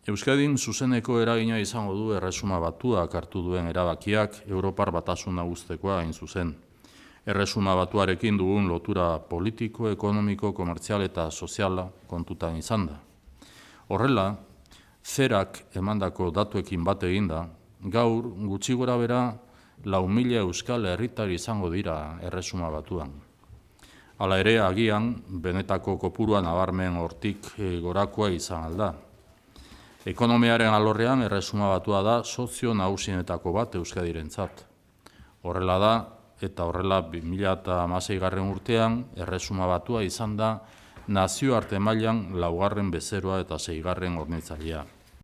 Euskadin zuzeneko eragina izango du Erresuma Batuak hartu duen erabakiak Europar Batasuna uztekoa hain zuzen. Erresuma Batuarekin dugun lotura politiko, ekonomiko, komertzial eta soziala kontutan izan da. Horrela, zerak emandako datuekin bat eginda, gaur gutxi gora bera 4.000 euskal herritar izango dira Erresuma Batuan. Hala ere, agian, benetako kopurua nabarmen hortik gorakoa izan alda. Ekonomiaren alorrean Erresuma Batua da sozio nagusienetako bat Euskadirentzat. Horrela da, eta horrela 2016. Urtean Erresuma Batua izan da nazioarte mailan 4. bezeroa eta 6. hornitzailea.